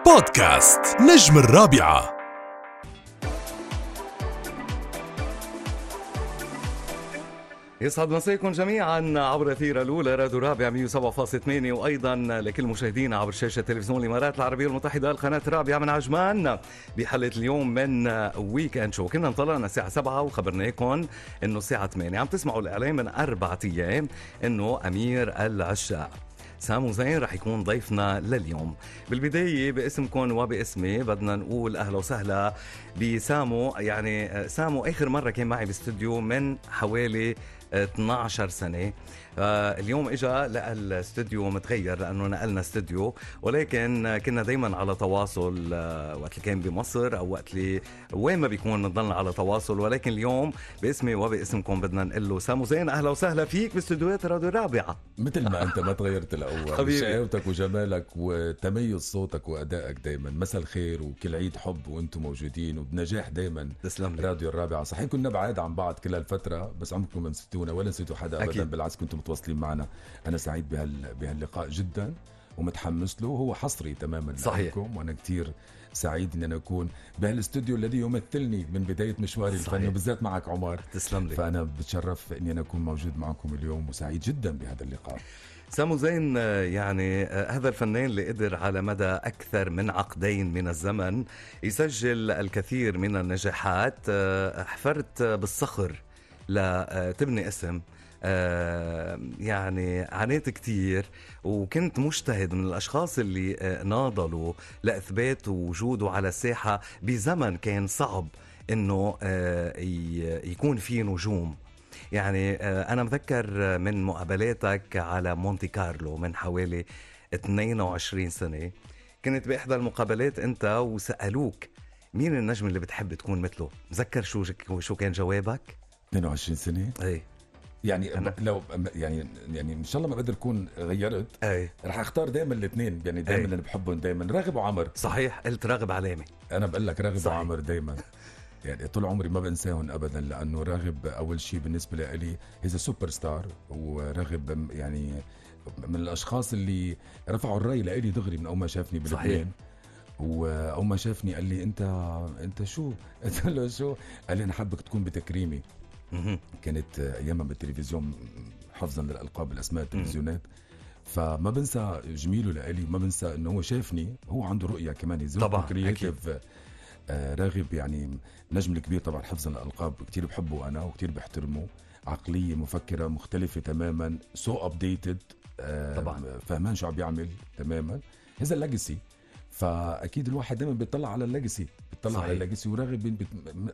بودكاست نجم الرابعة. يسعد مساكم جميعا عبر أثير الأولى راديو رابع 107.8 وأيضا لكل مشاهدينا عبر شاشة تلفزيون الإمارات العربية المتحدة القناة الرابعة من عجمان بحلقة اليوم من ويكند شو. كنا انطلقنا الساعة 7 وخبرناكم إنه الساعة 8 عم تسمعوا الإعلان من 4 أيام إنه أمير العشاق سامو زين رح يكون ضيفنا لليوم. بالبداية باسمكم وباسمي بدنا نقول أهلا وسهلا بسامو. يعني سامو آخر مرة كان معي باستوديو من حوالي 12 سنة. اليوم إجا لقى الاستوديو متغير لأنه نقلنا استوديو، ولكن كنا دايما على تواصل وقت اللي كان بمصر أو وقت اللي وين ما بيكون نضلنا على تواصل. ولكن اليوم باسمي وباسمكم بدنا نقول له سامو زين أهلا وسهلا فيك باستوديوهات راديو رابعة. مثل ما أنت ما تغيرت الأول، شقاوتك وجمالك وتميز صوتك وأدائك دايما. مساء الخير وكل عيد حب وأنتم موجودين وبنجاح دايما. تسلم لي. راديو الرابعة صحيح كنا بعاد عن بعض كل هالفترة، بس عمركم ما نسيتونا ولا نسيتوا حدا أبدا. أكيد. بالعكس كنتم متواصلين معنا. أنا سعيد بهاللقاء جدا ومتحمس له. هو حصري تماما لكم، وأنا كتير سعيد أن أنا أكون بهالاستوديو الذي يمثلني من بداية مشواري الفني، وبالذات معك عمر. تسلم لي. فأنا بتشرف أني أنا أكون موجود معكم اليوم وسعيد جدا بهذا اللقاء. سامو زين يعني هذا الفنان اللي قدر على مدى أكثر من عقدين من الزمن يسجل الكثير من النجاحات. حفرت بالصخر لتبني اسم. يعني عانيت كتير وكنت مجتهد من الأشخاص اللي ناضلوا لإثبات وجوده على الساحة بزمن كان صعب إنه يكون فيه نجوم. يعني أنا مذكر من مقابلاتك على مونتي كارلو من حوالي 22 سنة، كنت بإحدى المقابلات أنت وسألوك مين النجم اللي بتحب تكون مثله. مذكر شو كان جوابك؟ 22 سنة؟ أي. يعني لو يعني ان شاء الله ما بقدر اكون غيرت. أي. رح اختار دائما الاثنين، يعني دائما اللي بحبهم دائما راغب وعمر. صحيح، قلت راغب علامة. انا بقول لك راغب صحيح. وعمر دائما. يعني طول عمري ما بنساهم ابدا، لانه راغب اول شيء بالنسبه لي هيز سوبر ستار. وراغب يعني من الاشخاص اللي رفعوا الراي لي دغري من اول ما شافني بلبنان. واول ما شافني قال لي انت شو؟ قلت له شو؟ قال لي انا حابك تكون بتكريمي. كانت ايامها بالتلفزيون حفظا للالقاب الاسماء التلفزيونات. فما بنسى جميله لإلي، ما بنسى انه هو شافني، هو عنده رؤيه كمان طبعا كرييتيف. راغب يعني نجم الكبير طبعا حفظا للالقاب، كتير بحبه انا وكتير بحترمه. عقليه مفكره مختلفه تماما، سو ابديتد. طبعا فهمان شو عم بيعمل تماما. هذا الليجاسي، فاكيد الواحد دائما بيطلع على الليجاسي، على الليجاسي. وراغب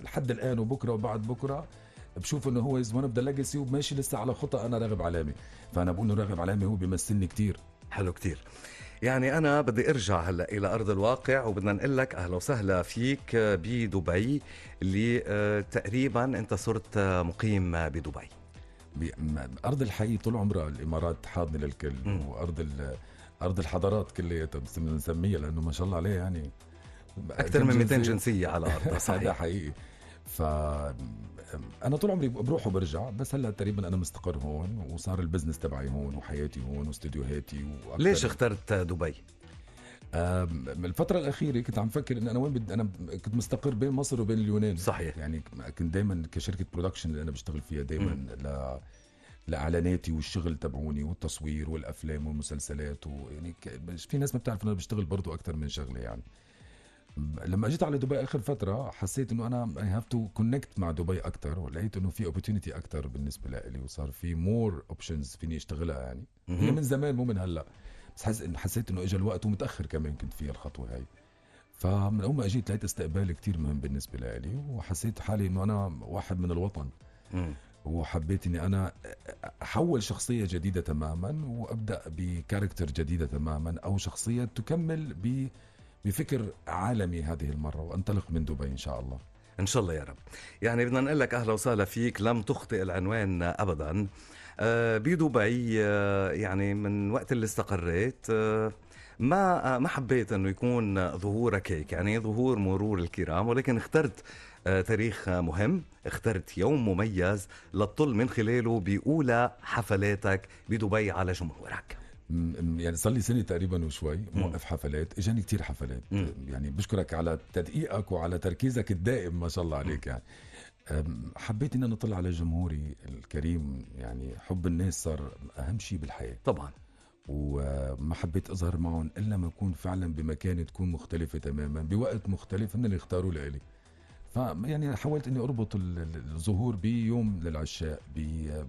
لحد الان وبكره وبعد بكره بشوف انه هو از ون اوف ذا ليجاسي وماشي لسه على خطى. انا راغب علامه، فانا بقول انه راغب علامه هو بيمثلني كتير. حلو كتير. يعني أنا بدي أرجع هلأ إلى أرض الواقع وبدنا نقول لك أهلا وسهلا فيك بدبي، اللي تقريبا أنت صرت مقيم بدبي. أرض الحي طول عمرها الإمارات حاضنة للكل. أرض الحضارات كلياتها بنسميها، لأنه ما شاء الله عليه يعني أكثر من 200 جنسية على أرضها. صحيح. هذا حقيقي. فأنا طول عمري بروح وبرجع، بس هلأ تقريبا أنا مستقر هون، وصار البزنس تبعي هون وحياتي هون واستديوهاتي. ليش اخترت دبي؟ الفترة الأخيرة كنت عم فكر إن أنا وين أنا كنت مستقر بين مصر وبين اليونان. صحيح. يعني كنت دايما كشركة برودكشن اللي أنا بشتغل فيها دايما لإعلاناتي والشغل تبعوني والتصوير والأفلام والمسلسلات. ويعني في ناس ما بتعرف إن أنا بشتغل برضو أكتر من شغلة. يعني لما أجيت على دبي آخر فترة حسيت إنه أنا I have to connect مع دبي أكتر، ولقيت إنه في opportunity أكتر بالنسبة لي، وصار في more options فيني أشتغلها. يعني هي من زمان مو من هلأ، بس حسيت إنه إجا الوقت، ومتأخر كمان كنت فيها الخطوة هاي. فمن أول ما أجيت لقيت استقبال كتير مهم بالنسبة لي، وحسيت حالي إنه أنا واحد من الوطن. وحبيت إني أنا أحول شخصية جديدة تماما، وأبدأ بكاركتر جديدة تماما، أو شخصية تكمل بفكر عالمي هذه المرة، وانطلق من دبي إن شاء الله. إن شاء الله يا رب. يعني بدنا نقول لك أهلا وسهلا فيك، لم تخطئ العنوان أبدا. بدبي يعني من وقت اللي استقريت ما حبيت أنه يكون ظهورك هيك، يعني ظهور مرور الكرام، ولكن اخترت تاريخ مهم، اخترت يوم مميز لتطل من خلاله بأولى حفلاتك بدبي على جمهورك. يعني صار لي سنة تقريبا وشوي موقف حفلات، اجاني كتير حفلات. يعني بشكرك على تدقيقك وعلى تركيزك الدائم، ما شاء الله عليك. يعني حبيت ان انا اطلع على جمهوري الكريم. يعني حب الناس صار اهم شيء بالحياة طبعا. وما حبيت اظهر معهم الا ما اكون فعلا بمكان تكون مختلفة تماما بوقت مختلف هن اللي اختاروا لإلي. يعني حاولت اني اربط الظهور بيوم للعشاق،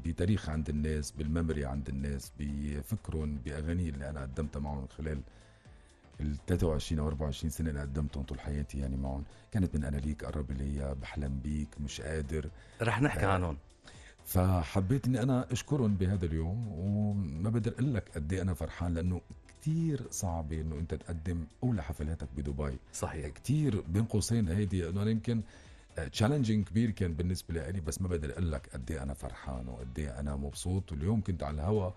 بتاريخ عند الناس، بالميموري عند الناس، بفكرهم، باغاني اللي انا قدمتها معهم خلال ال 23 او 24 سنه اللي قدمتهم طول حياتي يعني معهم. كانت من انا ليك، قرب ليا، بحلم بيك، مش قادر. رح نحكي عنهم. فحبيت اني انا اشكرهم بهذا اليوم، وما بقدر اقول لك قد ايه انا فرحان، لانه كتير صعب انه انت تقدم اولى حفلاتك بدبي. صحيح. كتير بين قوسين هيدي انه يمكن تشالنجينج كبير كان بالنسبه لي، بس ما بقدر اقول لك قد ايه انا فرحان وقد ايه انا مبسوط. واليوم كنت على الهوا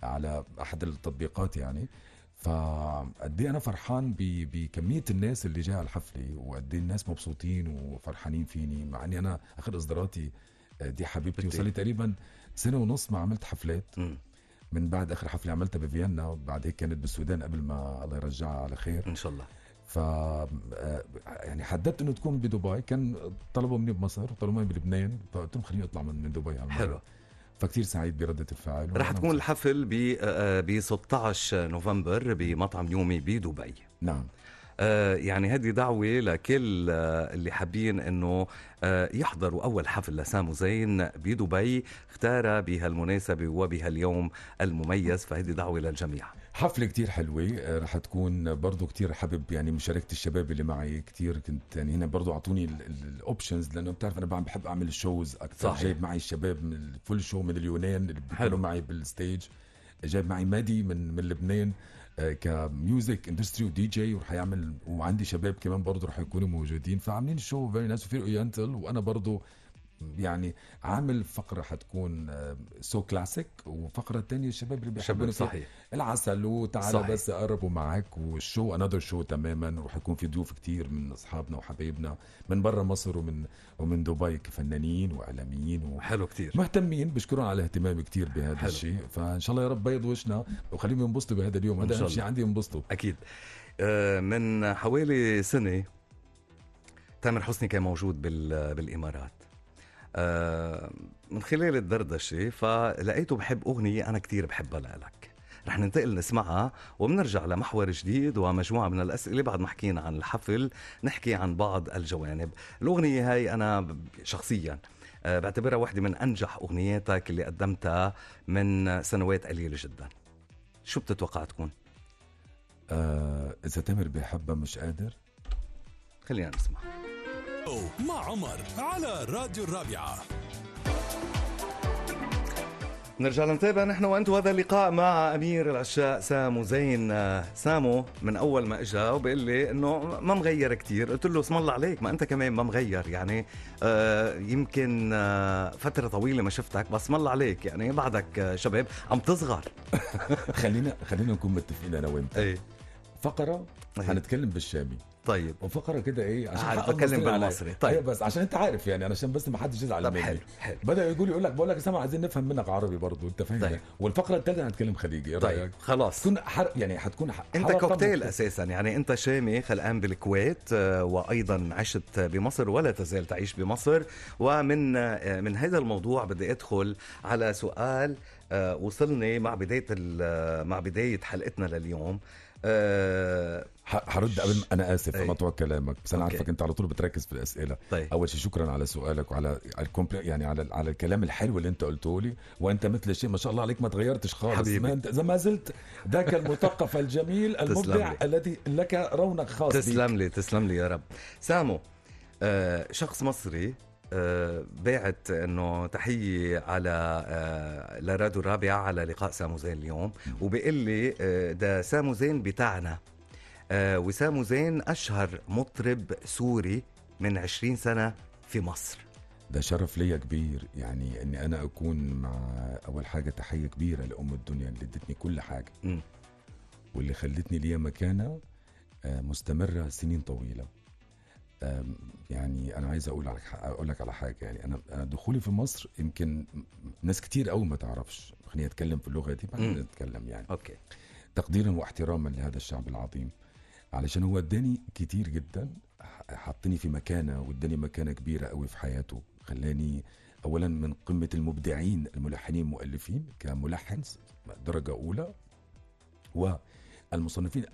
على احد التطبيقات يعني، فقد ايه انا فرحان بكميه الناس اللي جايه على الحفله، وقد ايه الناس مبسوطين وفرحانين فيني، مع اني انا اخر اصداراتي دي حبيبتي وصار لي تقريبا سنه ونص ما عملت حفلات. من بعد اخر حفله عملتها بفيينا، وبعد هيك كانت بالسودان قبل ما الله يرجعها على خير ان شاء الله. ف يعني حددت انه تكون بدبي. كان طلبوا مني بمصر وطلبوا مني بلبنان، فقلت لهم خليني اطلع من دبي هالمرة. حلو. فكتير سعيد برده الفعل. رح تكون الحفل ب 16 نوفمبر بمطعم يومي بدبي. نعم. يعني هذه دعوة لكل اللي حابين انه يحضروا اول حفل لسامو زين بدبي، اختار بهالمناسبة وبهاليوم المميز، فهذه دعوة للجميع. حفلة كتير حلوة رح تكون برضو. كتير حابب يعني مشاركة الشباب اللي معي. كتير كنت يعني هنا برضو اعطوني الاوبشنز، لانه بتعرف انا بحب اعمل الشوز اكثر. صحيح. جايب معي الشباب من الفول شو من اليونان اللي بيكونوا معي بالستيج. جايب معي مادي من لبنان كميوزك اندستري ودي جي، ورح يعمل. وعندي شباب كمان برضو رح يكونوا موجودين، فعاملين الشو فيري نايس وفير اورينتال. وانا برضو يعني عامل فقرة حتكون سو كلاسيك، وفقرة تانية الشباب اللي بيحبون صحيح العسل وتعالى صحيح. بس أقربوا معك. والشو انذر شو تماما، وح يكون في ضيوف كتير من أصحابنا وحبايبنا من برا مصر ومن دبي كفنانين وإعلاميين حلو كتير مهتمين. بشكرهم على الاهتمام كتير بهذا الشيء. فإن شاء الله يا رب بيض وشنا وخليهم ينبسطوا بهذا اليوم. هذا أهم شيء عندي، ينبسطوا أكيد. من حوالي سنة تامر حسني كان موجود بالإمارات. من خلال الدردشة فلقيته بحب أغنية أنا كتير بحبها لك. رح ننتقل نسمعها وبنرجع لمحور جديد ومجموعة من الأسئلة. بعد ما حكينا عن الحفل نحكي عن بعض الجوانب. الأغنية هاي أنا شخصيا بعتبرها واحدة من أنجح أغنياتك اللي قدمتها من سنوات قليلة جدا. شو بتتوقع تكون؟ إذا تامر بيحبها مش قادر. خلينا نسمع مع عمر على راديو الرابعة. نرجع نتابع نحن وانت هذا اللقاء مع امير العشاق سامو زين. سامو من اول ما اجى وبقول لي انه ما مغير كتير، قلت له اسم الله عليك، ما انت كمان ما مغير يعني. يمكن فتره طويله ما شفتك، بس اسم الله عليك يعني بعدك شباب عم تصغر. خلينا نكون متفقين انا وانت. ايه فقره حنتكلم بالشامي. طيب. وفقره كده ايه عشان بتكلم بالمصري. طيب. أيوة بس عشان انت عارف يعني علشان بس ما حدش يزعل مني. حلو. بدا يقول لك بقول لك سامع عايزين نفهم منك عربي برضو، انت فاهم. طيب. والفقره الثالثه هنتكلم خليجي. طيب خلاص. تكون يعني حتكون انت كوكتيل اساسا يعني. انت شامي خلقان بالكويت، وايضا عشت بمصر ولا تزال تعيش بمصر. ومن هذا الموضوع بدي ادخل على سؤال وصلني مع بدايه حلقتنا لليوم. حرد قبل. انا اسف مقطوع كلامك، بس انا عارفك انت على طول بتركز في الاسئله. طيب. اول شيء شكرا على سؤالك وعلى يعني على الكلام الحلو اللي انت قلته لي. وانت مثل الشيء ما شاء الله عليك ما تغيرتش خالص حبيبي. ما زلت ذاك المثقف الجميل المبدع الذي لك رونق خاص. تسلم لي يا رب. سامو شخص مصري باعت انه تحية على لراديو الرابعة على لقاء سامو زين اليوم، وبيقول لي ده سامو زين بتاعنا. وسامو زين أشهر مطرب سوري من 20 سنة في مصر. ده شرف ليا كبير يعني اني انا اكون مع. اول حاجة تحية كبيرة لأم الدنيا اللي ادتني كل حاجة واللي خلتني ليا مكانة مستمرة سنين طويلة. يعني أنا عايز أقول لك على حاجة. يعني أنا دخولي في مصر يمكن ناس كتير قوي ما تعرفش. خليني أتكلم في اللغة دي بعدين نتكلم يعني. أوكي. تقديرا واحتراما لهذا الشعب العظيم، علشان هو اداني كتير جدا، حطني في مكانة واداني مكانة كبيرة قوي في حياته. خلاني أولا من قمة المبدعين الملحنين المؤلفين كملحن درجة أولى، والمصنفين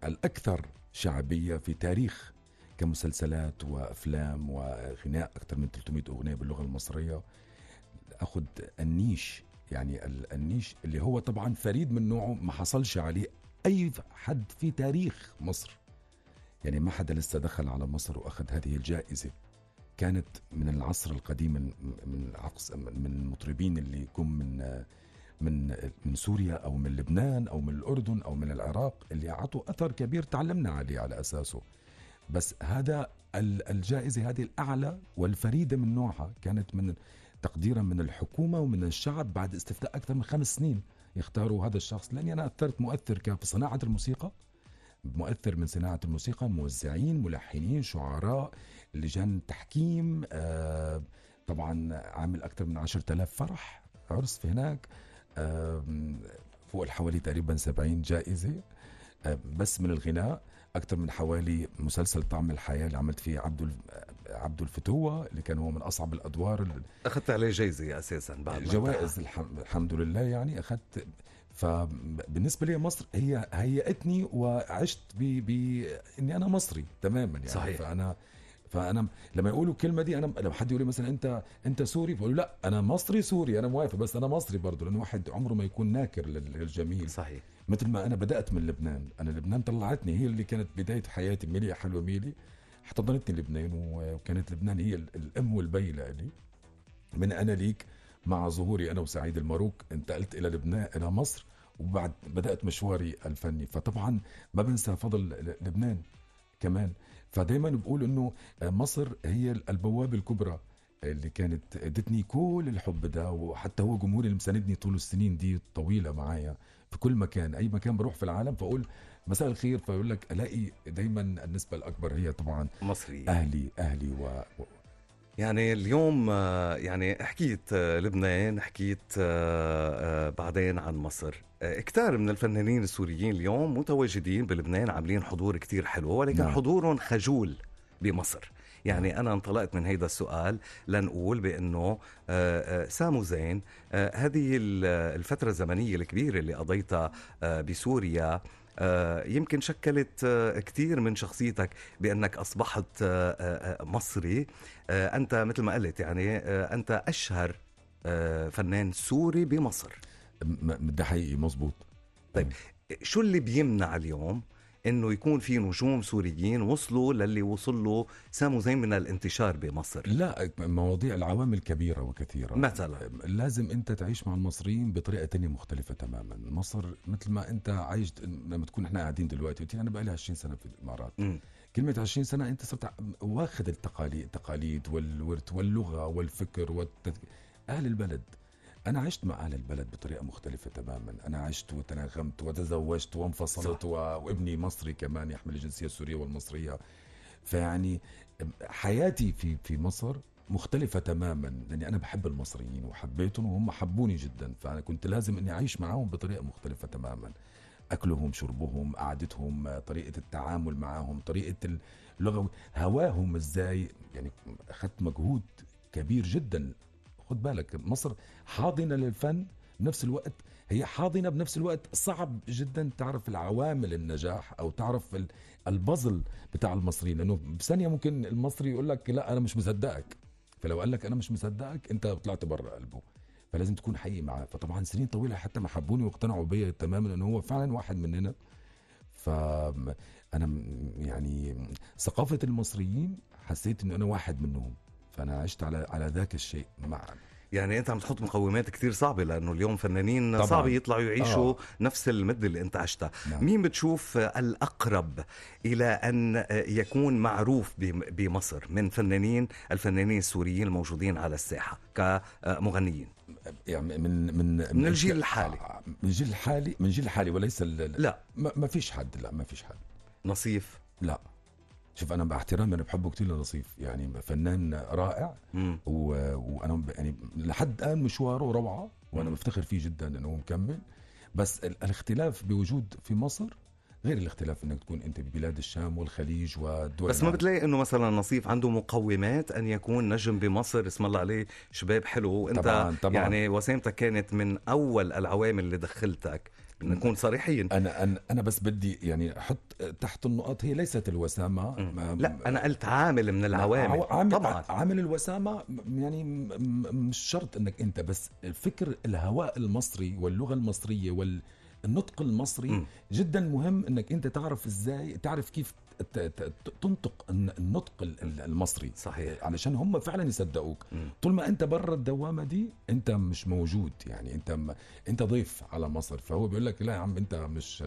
الأكثر شعبية في تاريخ كمسلسلات وأفلام وغناء، أكثر من 300 أغنية باللغة المصرية. أخذ النيش، يعني النيش اللي هو طبعا فريد من نوعه، ما حصلش عليه أي حد في تاريخ مصر. يعني ما حدا لسه دخل على مصر وأخذ هذه الجائزة. كانت من العصر القديم، من المطربين اللي يكون من سوريا أو من لبنان أو من الأردن أو من العراق، اللي أعطوا أثر كبير تعلمنا عليه على أساسه. بس هذا الجائزة هذه الأعلى والفريدة من نوعها، كانت من تقديرا من الحكومة ومن الشعب بعد استفتاء أكثر من 5 سنين يختاروا هذا الشخص. لأني أنا أثرت مؤثر كان في صناعة الموسيقى، مؤثر من صناعة الموسيقى، موزعين، ملحنين، شعراء، لجان تحكيم، طبعا عامل أكثر من 10,000 فرح عرس في هناك، فوق حوالي تقريبا 70 جائزة. بس من الغناء أكثر من حوالي مسلسل طعم الحياة اللي عملت فيه عبد الفتوة، اللي كان هو من أصعب الأدوار. أخذت عليه جايزة أساسا بعد جوائز الحمد لله. يعني أخذت. فبالنسبة لي مصر هي هيئتني وعشت إني أنا مصري تماما يعني. صحيح. فأنا لما يقولوا الكلمة دي، أنا لما حد يقول لي مثلا أنت سوري، بقول لا أنا مصري سوري، أنا موافق، بس أنا مصري برضو، لأن واحد عمره ما يكون ناكر للجميل. صحيح. مثل ما أنا بدأت من لبنان، أنا لبنان طلعتني، هي اللي كانت بداية حياتي. ميلي يا حلوة ميلي احتضنتني لبنان، وكانت لبنان هي الأم والبي لي. من أنا ليك مع ظهوري أنا وسعيد الماروك انتقلت إلى لبنان، إلى مصر، وبعد بدأت مشواري الفني. فطبعا ما بنسى فضل لبنان كمان. فدايما بقول إنه مصر هي البوابة الكبرى اللي كانت ادتني كل الحب ده، وحتى هو جمهوري اللي مساندني طول السنين دي الطويلة معايا في كل مكان، أي مكان بروح في العالم فأقول مساء الخير، فيقول لك ألاقي دايما النسبة الأكبر هي طبعا مصري. أهلي يعني اليوم يعني حكيت لبنان، حكيت بعدين عن مصر. كتار من الفنانين السوريين اليوم متواجدين بلبنان، عاملين حضور كتير حلو، ولكن حضورهم خجول بمصر. يعني أنا انطلقت من هيدا السؤال لنقول بأنه سامو زين، هذه الفترة الزمنية الكبيرة اللي قضيتها بسوريا يمكن شكلت كتير من شخصيتك، بأنك أصبحت مصري. أنت مثل ما قلت يعني أنت أشهر فنان سوري بمصر. ده حقيقي مظبوط. طيب شو اللي بيمنع اليوم انه يكون في نجوم سوريين وصلوا للي وصل له سامو زين من الانتشار بمصر؟ لا، مواضيع العوامل كبيرة وكثيرة. مثلا لازم انت تعيش مع المصريين بطريقة تانية مختلفة تماما. مصر مثل ما انت عايش، لما تكون احنا قاعدين دلوقتي، انا بقالي 20 سنة في الامارات. كلمة 20 سنة انت صرت واخد التقاليد والورث واللغة والفكر اهل البلد. أنا عشت مع أهل البلد بطريقة مختلفة تماما. أنا عشت وتناغمت وتزوجت وانفصلت وابني مصري كمان يحمل الجنسية السورية والمصرية. فيعني حياتي في مصر مختلفة تماما، لأني أنا بحب المصريين وحبيتهم وهم حبوني جدا. فأنا كنت لازم أني أعيش معهم بطريقة مختلفة تماما. أكلهم، شربهم، قعدتهم، طريقة التعامل معهم، طريقة اللغة، هواهم إزاي. يعني أخذت مجهود كبير جدا. خد بالك مصر حاضنة للفن، بنفس الوقت هي حاضنة بنفس الوقت صعب جدا تعرف العوامل النجاح أو تعرف البازل بتاع المصريين. لأنه بثانية ممكن المصري يقول لك لا أنا مش مصدقك، فلو قال لك أنا مش مصدقك أنت طلعت برا قلبه. فلازم تكون حقيقي معاه. فطبعا سنين طويلة حتى ما حبوني واقتنعوا بيا تماما أنه هو فعلا واحد مننا. فأنا يعني ثقافة المصريين حسيت أنه أنا واحد منهم، فأنا عشت على ذاك الشيء معا. يعني أنت عم تحط مقومات كتير صعبة، لأنه اليوم فنانين طبعاً صعب يطلعوا يعيشوا نفس المدة اللي أنت عشتها. نعم. مين بتشوف الأقرب إلى أن يكون معروف بمصر من الفنانين السوريين الموجودين على الساحة كمغنيين؟ يعني من الجيل الحالي. من جيل الحالي وليس لا ما فيش حد. لا ما فيش حد. نصيف؟ لا شوف انا باحترامي انا بحبه كتير لنصيف، يعني فنان رائع وانا يعني لحد الان مشواره روعه، وانا بفتخر فيه جدا انه هو مكمل. بس الاختلاف بوجود في مصر غير الاختلاف انك تكون انت ببلاد الشام والخليج والدول بس ما بتلاقي انه مثلا نصيف عنده مقومات ان يكون نجم بمصر؟ اسم الله عليه شباب حلو، وانت طبعاً. يعني وسامتك كانت من اول العوامل اللي دخلتك، نكون صريحين. انا بس بدي يعني احط تحت النقط، هي ليست الوسامه. لا انا قلت عامل من العوامل. طبعا عامل الوسامه يعني مش شرط انك انت، بس الفكر الهواء المصري واللغه المصريه والنطق المصري جدا مهم، انك انت تعرف ازاي، تعرف كيف تنطق النطق المصري. صحيح. علشان هم فعلا يصدقوك. طول ما انت برا الدوامه دي انت مش موجود، يعني انت ضيف على مصر. فهو بيقول لك لا يا عم انت مش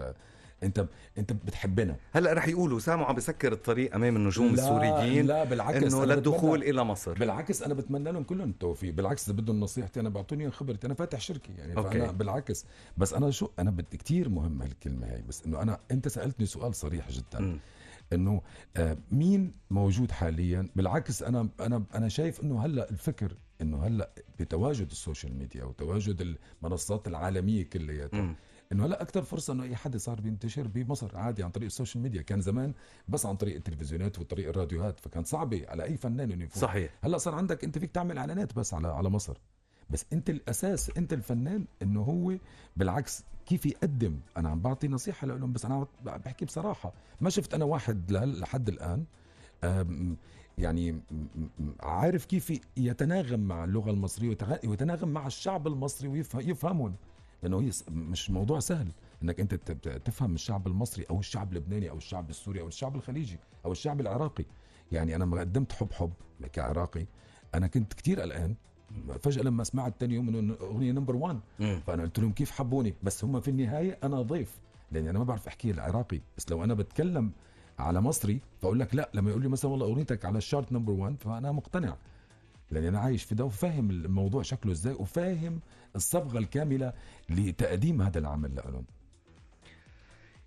انت بتحبنا. هلا رح يقولوا سامو عم بسكر الطريق امام النجوم لا السوريين، لا بالعكس، انه للدخول الى مصر. بالعكس انا بتمنى لهم كلهم التوفيق. بالعكس اذا بدهم نصيحتي انا بعطوني خبرتي، انا فاتح شركه يعني. فانا بالعكس، بس انا انا بدي كتير مهم هالكلمه هاي، بس انه انت سالتني سؤال صريح جدا انه مين موجود حاليا. بالعكس انا شايف انه هلا الفكر انه هلا بتواجد السوشيال ميديا وتواجد المنصات العالميه كلياتها، انه هلا اكثر فرصه انه اي حد صار بينتشر بمصر عادي عن طريق السوشيال ميديا. كان زمان بس عن طريق التلفزيونات وطريق الراديوهات، فكان صعبه على اي فنان انه يفوت. صحيح. هلا صار عندك انت فيك تعمل اعلانات بس على مصر، بس انت الاساس انت الفنان. انه هو بالعكس كيف يقدم. انا عم بعطي نصيحه لهم، بس انا بحكي بصراحه، ما شفت انا واحد لحد الان يعني عارف كيف يتناغم مع اللغه المصريه ويتناغم مع الشعب المصري ويفهمهم. لانه هي مش موضوع سهل انك انت تفهم الشعب المصري او الشعب اللبناني او الشعب السوري او الشعب الخليجي او الشعب العراقي. يعني انا ما قدمت حب كعراقي، انا كنت كتير قلقان فجأة لما سمعت تاني يوم انه اغنية نمبر 1. فانا قلت لهم كيف حبوني، بس هم في النهاية انا ضيف، لاني انا ما بعرف احكي العراقي. بس لو انا بتكلم على مصري فاقول لك لا، لما يقول لي مثلا والله اغنيتك على الشارت نمبر 1 فانا مقتنع، لاني انا عايش في ده وفاهم الموضوع شكله ازاي وفاهم الصبغة الكاملة لتقديم هذا العمل لهم.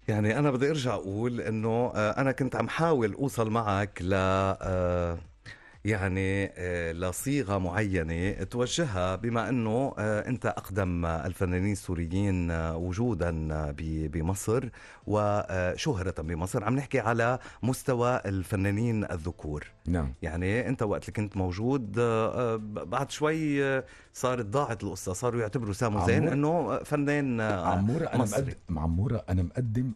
يعني أنا بدي أرجع أقول إنه أنا كنت عم حاول أوصل معك يعني لصيغة معينة توجهها، بما أنه أنت أقدم الفنانين السوريين وجودا بمصر وشهرة بمصر. عم نحكي على مستوى الفنانين الذكور. نعم. يعني أنت وقت اللي كنت موجود بعد شوي صارت ضاعت القصة، صاروا يعتبروا سامو زين أنه فنان مصري. عمورة أنا مقدم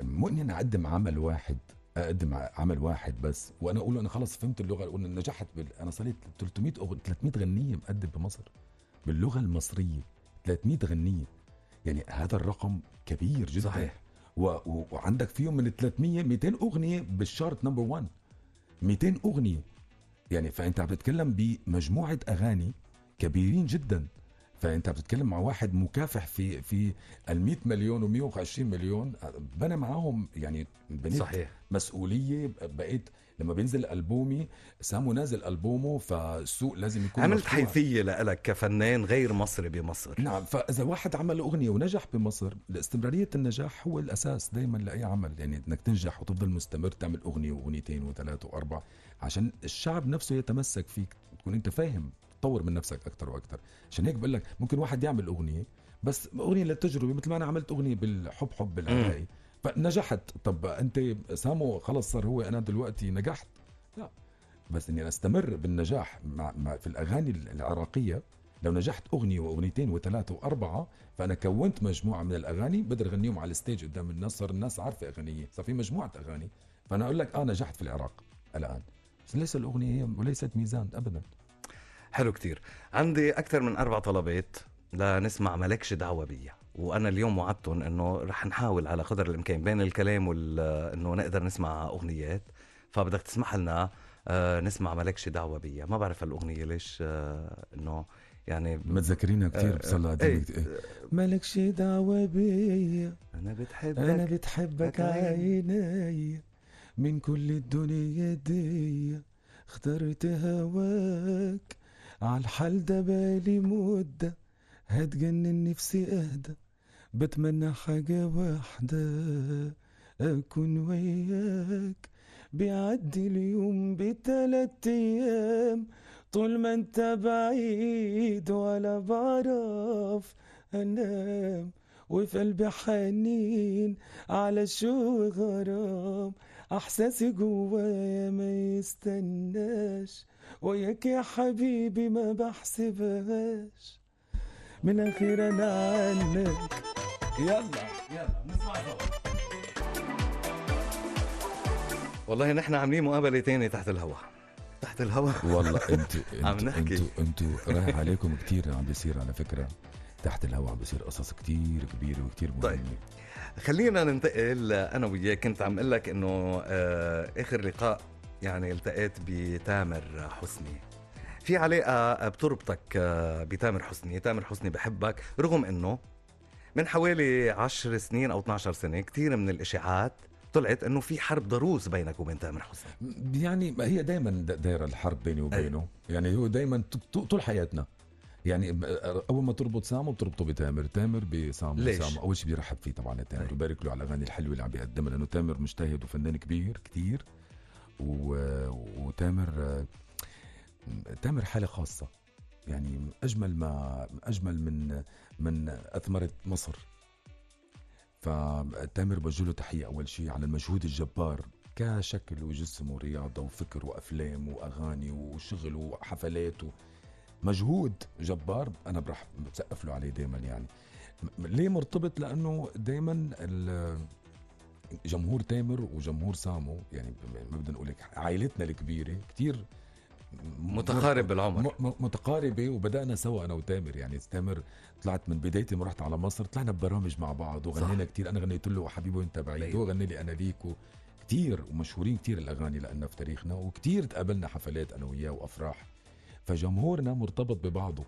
مؤمن أنا أقدم عمل واحد، اقدم عمل واحد بس، وانا اقول انا خلص فهمت اللغه، وانا نجحت انا صليت 300 غنيه مقدم بمصر باللغه المصريه، 300 غنيه. يعني هذا الرقم كبير جدا. صحيح. وعندك فيهم من 300 200 اغنيه بالشارت نمبر 1، 200 اغنيه يعني. فانت بتتكلم بمجموعه اغاني كبيرين جدا. فانت بتتكلم مع واحد مكافح في ال100 مليون و120 مليون، بنى معاهم يعني بنيت. صحيح. مسؤوليه. بقيت لما بينزل ألبومي، سامو نازل ألبومه، فالسوق لازم يكون عملت مفتوح. حيثية لك كفنان غير مصري بمصر. نعم. فإذا واحد عمل أغنية ونجح بمصر، استمرارية النجاح هو الأساس دايما لأي عمل. يعني إنك تنجح وتفضل مستمر، تعمل أغنية وأغنيتين وثلاثة وأربعة عشان الشعب نفسه يتمسك فيك، تكون أنت فاهم، تطور من نفسك أكتر وأكتر. عشان هيك بقول لك ممكن واحد يعمل أغنية بس أغنية للتجربة، مثل ما أنا عملت أغنية بالحب بالعراقي فنجحت. طب أنت سامو خلص صار هو أنا دلوقتي نجحت؟ لا، بس إني أستمر بالنجاح في الأغاني العراقية. لو نجحت أغنية وأغنيتين وثلاثة وأربعة، فأنا كونت مجموعة من الأغاني بقدر أغنيهم على الستيج قدام الناس، صار الناس عارفة أغنية، صار في مجموعة أغاني. فأنا أقول لك نجحت في العراق الآن، بس ليس الأغنية هي وليست ميزان أبدا. حلو كتير. عندي أكثر من 4 طلبات لنسمع ملكش دعوة بيا، وأنا اليوم وعدتهم أنه رح نحاول على قدر الإمكان بين الكلام أنه نقدر نسمع أغنيات. فبدك تسمح لنا نسمع ملكش دعوة بيا. ما بعرف الأغنية ليش أنه يعني متذكرينها كتير بصلا ملكش دعوة بيا، أنا بتحبك عيني، من كل الدنيا دي اخترت هواك، عالحال ده بالي مدة، هتجنن نفسي اهدى، بتمنى حاجة واحدة، اكون وياك بيعدي اليوم ب3 أيام طول ما انت بعيد ولا بعرف انام وفي قلبي حنين على شو غرام احساسي جوايا ما يستناش وياك يا حبيبي ما بحسبهاش من اخير انا عنك يلا نسمع سوا. والله نحن عاملين مقابلة تانية تحت الهوا والله عم نحكي. انتوا رايح عليكم كتير عم بيصير على فكرة تحت الهوا، عم بيصير قصص كتير كبيرة وكتير مهمة. طيب خلينا ننتقل. انا وياك كنت عم اقول لك انه اخر لقاء يعني التقيت بتامر حسني، في علاقة بتربطك بتامر حسني. تامر حسني بحبك رغم انه من حوالي 10 سنين او 12 سنة كتير من الاشاعات طلعت انه في حرب ضروس بينك وبين تامر حسني. يعني هي دايما دايره الحرب بيني وبينه. يعني هو دايما طول حياتنا، يعني اول ما تربط سامو بتربطه بتامر بسامو. ليش؟ سامو اول شيء بيرحب فيه طبعا تامر وبارك له على الاغاني الحلوه اللي عم بيقدمها، لانه تامر مجتهد وفنان كبير كتير. وتامر حاله خاصه، يعني اجمل من اثمره مصر. فتامر بوجه تحية أول شيء على المجهود الجبار كشكل وجسم ورياضة وفكر وأفلام وأغاني وشغل وحفلات مجهود جبار. أنا برح بسقف له عليه دايما. يعني ليه مرتبط؟ لأنه دايما جمهور تامر وجمهور سامو، يعني ما بدنا نقول عائلتنا الكبيرة كتير متقارب بالعمر، متقاربة. وبدأنا سوا أنا وتامر. يعني تامر طلعت من بدايتي ما رحت على مصر، طلعنا ببرامج مع بعض وغنينا كتير. أنا غنيت له حبيبي وانت بعيد، هو غني لي أنا ليك كتير. ومشهورين كتير الأغاني لأننا في تاريخنا، وكتير تقابلنا حفلات أنا وياه وأفراح. فجمهورنا مرتبط ببعضه.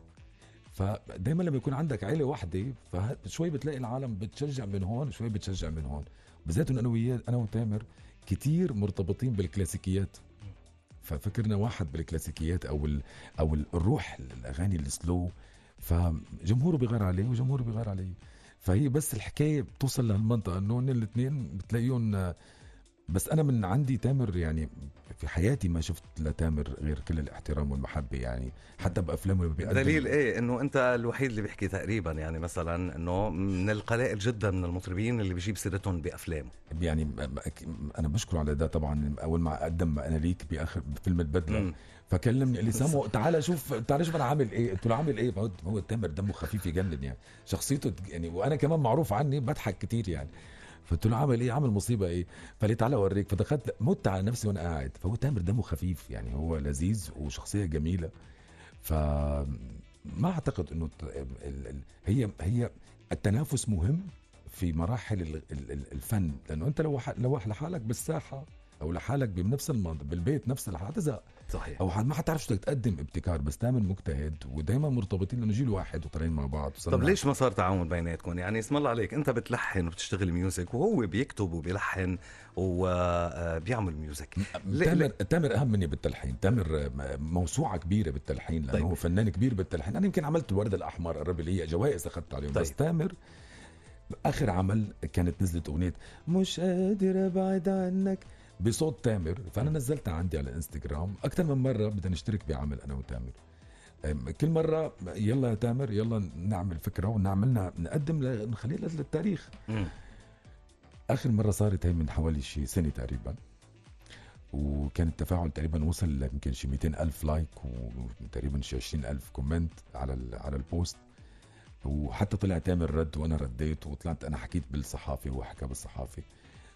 فدايما لما يكون عندك عيلة واحدة فشوي بتلاقي العالم بتشجع من هون شوي بتشجع من هون. بالذات أنا وياه أنا وتامر كتير مرتبطين بالكلاسيكيات، ففكرنا واحد بالكلاسيكيات او الروح الاغاني السلو. فجمهوره بيغار عليه وجمهوره بيغار عليه. فهي بس الحكايه بتوصل لهالمنطقه انه الاثنين بتلاقيهم. بس انا من عندي تامر، يعني في حياتي ما شفت لتامر غير كل الاحترام والمحبه. يعني حتى بافلامه اللي بيقدم. دليل ايه؟ انه انت الوحيد اللي بيحكي تقريبا، يعني مثلا انه من القلائل جدا من المطربين اللي بيجيب سيرتهم بافلام. يعني انا بشكر على ده طبعا. اول ما قدم انا ليك باخر فيلم البدله فكلمني قال لي سامو تعال شوف انا عامل ايه. قلت له عامل ايه؟ هو تامر دمه خفيف يجنن، يعني شخصيته يعني، وانا كمان معروف عني بضحك كتير يعني. فقلت له عامل ايه؟ عامل مصيبه ايه؟ فقال لي تعالى اوريك. فدخلت مت على نفسي وانا قاعد. فهو تامر دمه خفيف، يعني هو لذيذ وشخصيه جميله. فما اعتقد انه هي التنافس مهم في مراحل الفن. لانه انت لو لحالك بالساحه او لحالك بنفس المنطقه بالبيت نفس الحاجه هتزهق صحيح، او ما حتعرف شو بدك تقدم ابتكار. بس دائما مجتهد ودائما مرتبطين لانه جيل واحد وطالعين مع بعض. طب ليش ما صار تعاون بيناتكم؟ يعني اسم الله عليك، انت بتلحن وبتشتغل ميوزك وهو بيكتب وبيلحن وبيعمل ميوزك. تامر اهم مني بالتلحين. تامر موسوعه كبيره بالتلحين لانه هو فنان كبير بالتلحين. انا يمكن عملت الورد الاحمر قرب لي جوائز اخذت عليهم. بس تامر اخر عمل كانت نزلت اغنيه مش قادر ابعد عنك بصوت تامر. فانا نزلتها عندي على الانستغرام اكثر من مره. بدنا نشترك بعمل انا وتامر. كل مره يلا يا تامر يلا نعمل فكره ونعملنا نقدم نخليها للتاريخ. اخر مره صارت هي من حوالي شي سنه تقريبا، وكان التفاعل تقريبا وصل يمكن شي 200,000 لايك وتقريبا شي 20,000 كومنت على البوست. وحتى طلع تامر رد وانا رديت، وطلعت انا حكيت بالصحافه وهو حكى بالصحافه.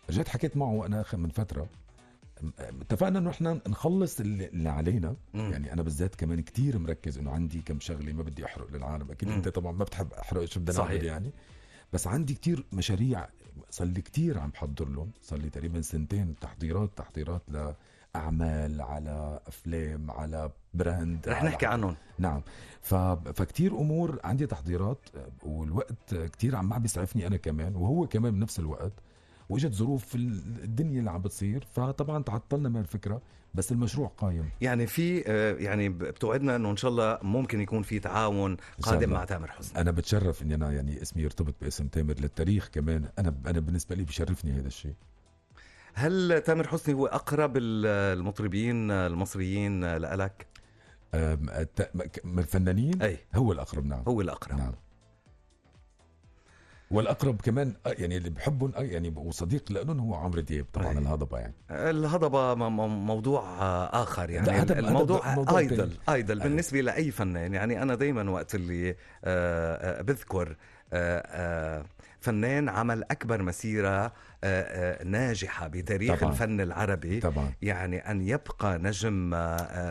رجعت حكيت معه انا من فتره، اتفقنا انه احنا نخلص اللي علينا. يعني انا بالذات كمان كتير مركز انه عندي كم شغله ما بدي احرق للعالم. اكيد انت طبعا ما بتحب احرق شو بدنا نعمل يعني. بس عندي كتير مشاريع صار لي كتير عم بحضر لهم. صار لي تقريبا سنتين تحضيرات لاعمال على افلام على براند رح نحكي عنهم. نعم. فكتير امور عندي تحضيرات، والوقت كتير عم بيسعفني انا كمان وهو كمان بنفس الوقت. واجت ظروف في الدنيا اللي عم بتصير فطبعا تعطلنا من الفكره. بس المشروع قايم. يعني في يعني بتوعدنا انه ان شاء الله ممكن يكون في تعاون قادم مع تامر حسني. انا بتشرف اني انا يعني اسمي يرتبط باسم تامر للتاريخ كمان. انا بالنسبه لي بشرفني هذا الشيء. هل تامر حسني هو أقرب المطربين المصريين لألك؟ من الفنانين أي هو الأقرب. نعم هو الأقرب. نعم. والأقرب كمان يعني اللي بحبهم يعني وصديق لأنه هو عمرو دياب طبعا. أي. الهضبة يعني الهضبة موضوع آخر يعني. لا، الموضوع موضوع آيدل بالنسبة لأي فنان. يعني أنا دايما وقت اللي بذكر فنان عمل أكبر مسيرة ناجحة بتاريخ طبعاً. الفن العربي طبعا. يعني أن يبقى نجم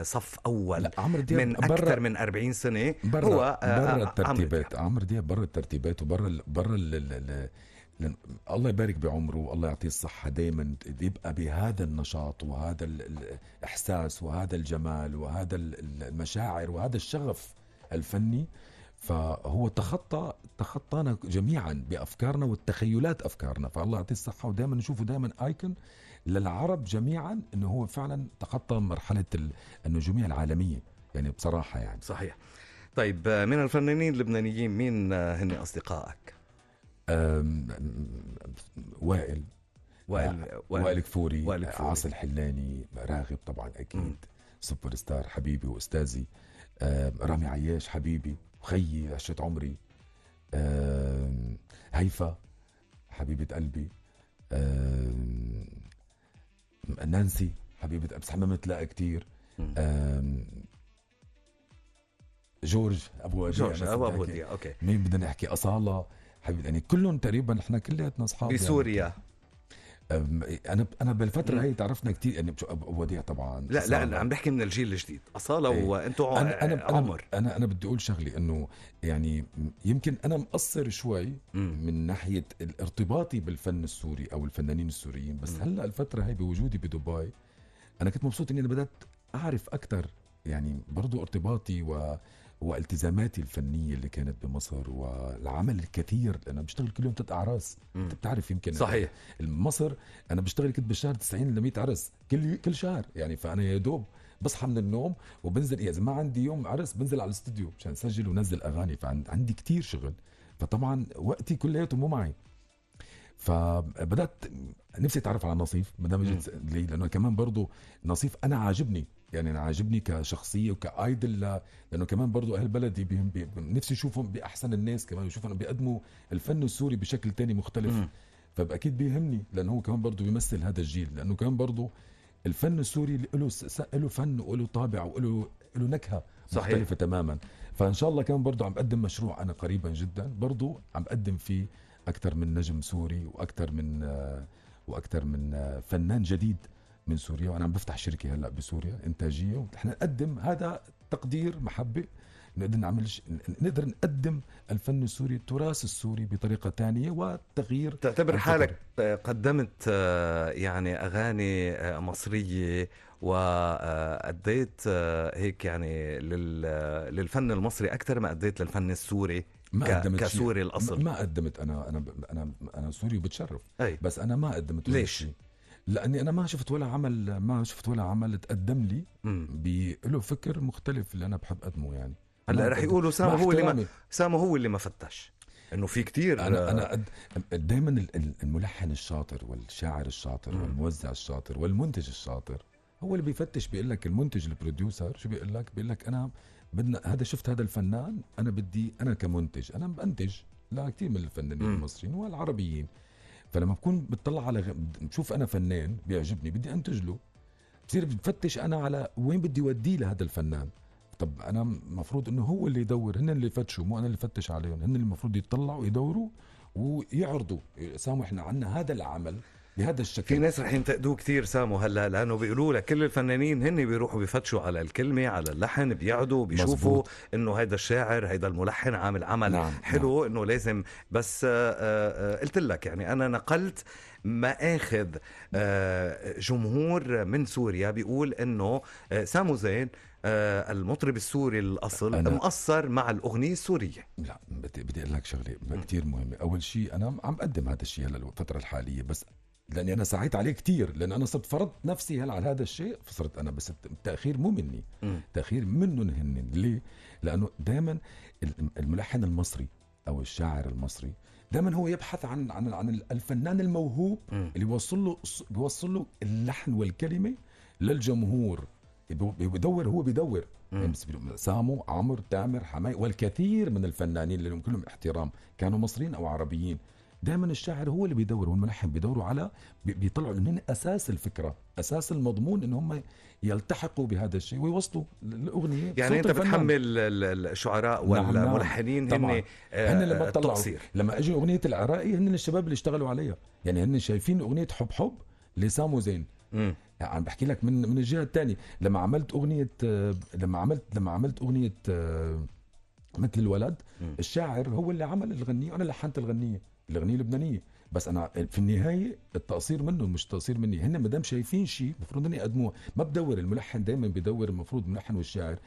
صف أول لا، عمرو دياب من أكثر من 40 سنة. هو برا الترتيبات. عمرو دياب برا الترتيبات وبرا الله يبارك بعمره والله يعطيه الصحة. دايما يبقى بهذا النشاط وهذا الإحساس وهذا الجمال وهذا المشاعر وهذا الشغف الفني. فهو تخطانا جميعا بأفكارنا والتخيلات أفكارنا. فالله يعطيه الصحة. ودائما نشوفه دائما آيكون للعرب جميعا انه هو فعلا تخطى مرحلة النجومية العالمية يعني بصراحة يعني. صحيح. طيب من الفنانين اللبنانيين مين هن أصدقائك؟ وائل كفوري، عاصي الحلاني، راغب طبعا أكيد سوبر ستار حبيبي وأستاذي، رامي عياش حبيبي وخيي عشرة عمري، هيفا حبيبة قلبي، نانسي حبيبة بس حمامة تلاقى كتير، جورج أبو وديع. أوكي. مين بدنا نحكي؟ أصالة حبيبي يعني كلهم تقريبا احنا كلياتنا اصحاب بسوريا. يعني انا بالفتره هي تعرفنا كتير يعني ابو وديع طبعا. لا عم بحكي من الجيل الجديد. أصالة وانتم عمر. انا بدي اقول شغلي انه يعني يمكن انا مقصر شوي من ناحيه ارتباطي بالفن السوري او الفنانين السوريين. بس هلا الفتره هي بوجودي بدبي انا كنت مبسوط اني انا بدات اعرف اكثر يعني برضو ارتباطي والتزاماتي الفنية اللي كانت بمصر والعمل الكثير. أنا بشتغل كل يوم 3 أعراس. أنت بتعرف يمكن. صحيح. مصر أنا بشتغل كنت بالشهر 90 ل 100 عرس كل شهر يعني. فأنا يا دوب بصحى من النوم وبنزل إذا ما عندي يوم عرس بنزل على الاستوديو عشان أسجل ونزل أغاني. فعندي كتير شغل. فطبعا وقتي كلياته مو معي. فبدأت نفسي أتعرف على نصيف مدام جيت لي لأنه كمان برضو نصيف أنا عاجبني يعني. أنا عاجبني كشخصية وكايدل لأنه كمان برضو أهل بلدي نفسي أشوفهم بأحسن الناس كمان يشوفوا بيقدموا الفن السوري بشكل تاني مختلف. فبأكيد بيهمني لأنه هو كمان برضو بيمثل هذا الجيل. لأنه كمان برضو الفن السوري له فن وله طابع وله نكهة مختلفة تماما. فإن شاء الله كمان برضو عم بقدم مشروع أنا قريبا جدا برضو عم بقدم فيه أكثر من نجم سوري وأكثر من فنان جديد من سوريا. وأنا عم بفتح شركة هلأ بسوريا إنتاجية ونحن نقدم هذا تقدير محبة. نقدر نقدم الفن السوري التراث السوري بطريقة تانية وتغيير. تعتبر حالك قدمت يعني أغاني مصرية وأديت هيك يعني للفن المصري أكثر ما أديت للفن السوري؟ كسوري الأصل ما قدمت. أنا سوري وبتشرف. بس أنا ما قدمت. ليش؟ لأني أنا ما شفت ولا عمل تقدم لي بله فكر مختلف اللي أنا بحب أقدمه يعني. هلا رح يقولوا سامو هو اللي ما فتش إنه في كتير. أنا دايما الملحن الشاطر والشاعر الشاطر والموزع الشاطر والمنتج الشاطر هو اللي بيفتش. بيقول لك المنتج البروديوسر شو بيقول لك أنا بدنا شفت هذا الفنان أنا بدي أنا كمنتج أنا بأنتج لا كتير من الفنانين المصريين والعربيين. فلما بكون بتطلع على بشوف أنا فنان بيعجبني بدي أنتج له بصير بفتش أنا على وين بدي وديه لهذا الفنان. طب أنا مفروض إنه هو اللي يدور. هن اللي فتشوا مو أنا اللي فتش عليهم. هن اللي المفروض يطلعوا يدوروا ويعرضوا سامو إحنا عنا هذا العمل بهذا الشكل. في ناس رح ينتقدوه كتير سامو هلا لأنه بيقولوا لك كل الفنانين هن بيروحوا بيفتشوا على الكلمة على اللحن بيقعدوا بيشوفوا إنه هيدا الشاعر هيدا الملحن عامل عمل حلو. إنه لازم بس قلت لك يعني أنا نقلت مآخذ جمهور من سوريا بيقول إنه سامو زين المطرب السوري الأصل مقصر مع الأغنية السورية. لا بدي أقول لك شغلة كتير مهمة. أول شيء أنا عم بقدم هذا الشيء هلا الفترة الحالية بس لأني أنا سعيت عليه كتير لأن أنا صرت فرضت نفسي هلا على هذا الشيء. فصرت أنا بس التأخير مو مني تأخير منهم هن. ليه؟ لأنه دائما الملحن المصري أو الشاعر المصري دائما هو يبحث عن الفنان الموهوب اللي بيوصل له اللحن والكلمة للجمهور. بيدور يعني سامو، عمرو، تامر، حماي والكثير من الفنانين اللي لهم كلهم احترام كانوا مصريين او عربيين. دائما الشاعر هو اللي بيدور والملحن بيدوروا على بيطلعوا انهم اساس الفكره، اساس المضمون، ان هم يلتحقوا بهذا الشيء ويوصلوا الاغنيه. يعني انت بتحمل الشعراء والملحنين هن لما التقصير. لما اجى اغنيه العراقي هن الشباب اللي اشتغلوا عليها، يعني هن شايفين اغنيه حب لسامو زين. يعني بحكي لك من الجهه الثانيه، لما عملت اغنيه مثل الولد، الشاعر هو اللي عمل الغنية وانا لحنت الغنية اللبنانية، بس انا في النهاية التقصير منهم مش تقصير مني. هن مدام شايفين شيء المفروض اني يقدموه. ما بدور الملحن، دائما بدور المفروض الملحن والشاعر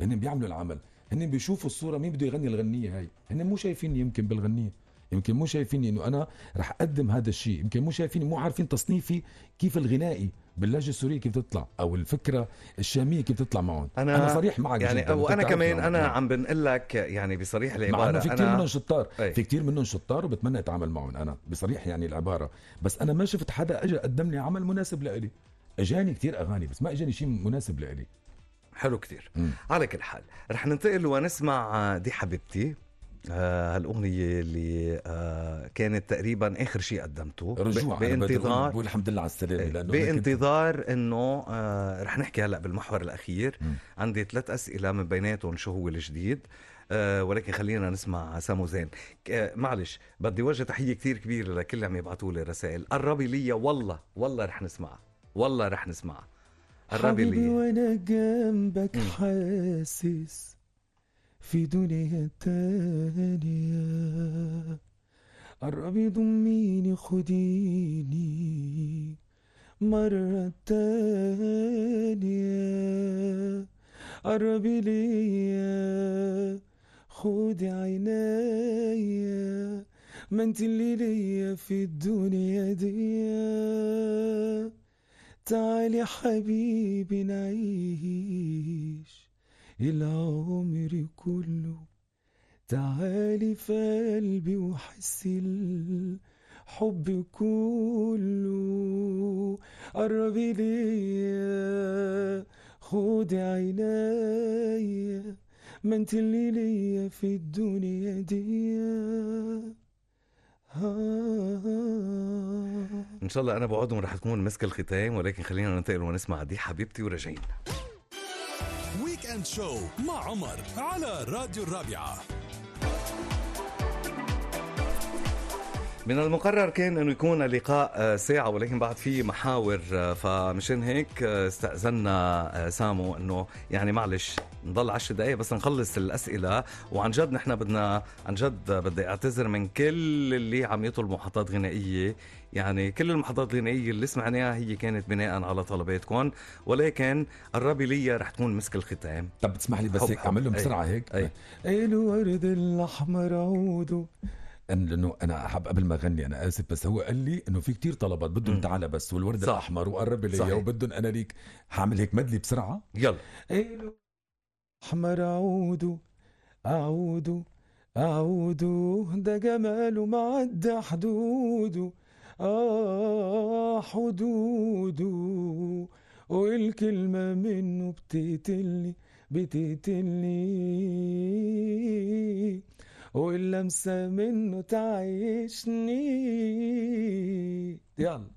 هن بيعملوا العمل، هن بيشوفوا الصورة مين بده يغني الغنية هاي. هن مو شايفيني يمكن بالغنية، يمكن مو شايفيني انه انا رح اقدم هذا الشيء، يمكن مو شايفيني، مو عارفين تصنيفي كيف الغنائي باللهجه السوريه كيف تطلع، او الفكره الشاميه كيف تطلع معهم. انا صريح معك يعني جدا، وانا كمان انا عم بنقول لك يعني بصريح العباره، في كثير منهم شطار، في كثير منهم شطار وبتمنى اتعامل معهم انا بصريح يعني العباره، بس انا ما شفت حدا اجى قدم لي عمل مناسب لإلي. اجاني كثير اغاني بس ما اجاني شيء مناسب لإلي. حلو كثير. على كل حال رح ننتقل ونسمع دي حبيبتي، هالأغنية اللي كانت تقريبا آخر شيء قدمته بانتظار. بقول الحمد لله على السلامة، بانتظار إنه رح نحكي هلأ بالمحور الأخير. عندي 3 أسئلة من بيناتهم شو هو الجديد، ولكن خلينا نسمع سامو زين. معلش بدي وجه تحية كتير كبيرة لكل اللي عم يبعتوا لي رسائل. قربي لي والله رح نسمع، والله رح نسمع. قربي لي وانا جنبك حاسس في دنيا تانية. قربي ضميني خديني مرة تانية. قربي ليا خدي عينيا، ما انت اللي ليا في الدنيا دي. تعالي حبيبي نعيش العمر كله، تعالي في قلبي وحسي الحب كله. قربي ليا خدي عينيا، ما انت اللي ليا في الدنيا دي. إن شاء الله أنا بوعدهم رح تكون مسك الختام، ولكن خلينا ننتقل ونسمع دي حبيبتي وراجعين. ويكند شو مع عمر على راديو الرابعة. من المقرر كان انه يكون اللقاء ساعة، ولكن بعد في محاور، فمشان هيك استأذنا سامو انه يعني معلش نضل 10 دقايق بس نخلص الأسئلة. وعن جد نحن بدي اعتذر من كل اللي عم يطلب محطات غنائية. يعني كل المحطات الغنائية اللي سمعناها هي كانت بناء على طلباتكم، ولكن قربي لي رح تكون مسك الختام. طب تسمح لي بس هيك اعمل لهم بسرعة هيك. الورد الأحمر عوده. لانه انا حاب قبل ما اغني، انا اسف بس هو قال لي انه في كتير طلبات بدهم تعالى بس والورد صح. الاحمر وقرب لي وبدهم انا ليك. هعمل هيك مدلي بسرعه. يلا. احمر عوده عوده ده جماله معدى حدوده. حدوده والكلمه منه بتقتلني واللمسة منه تعيشني. يلا.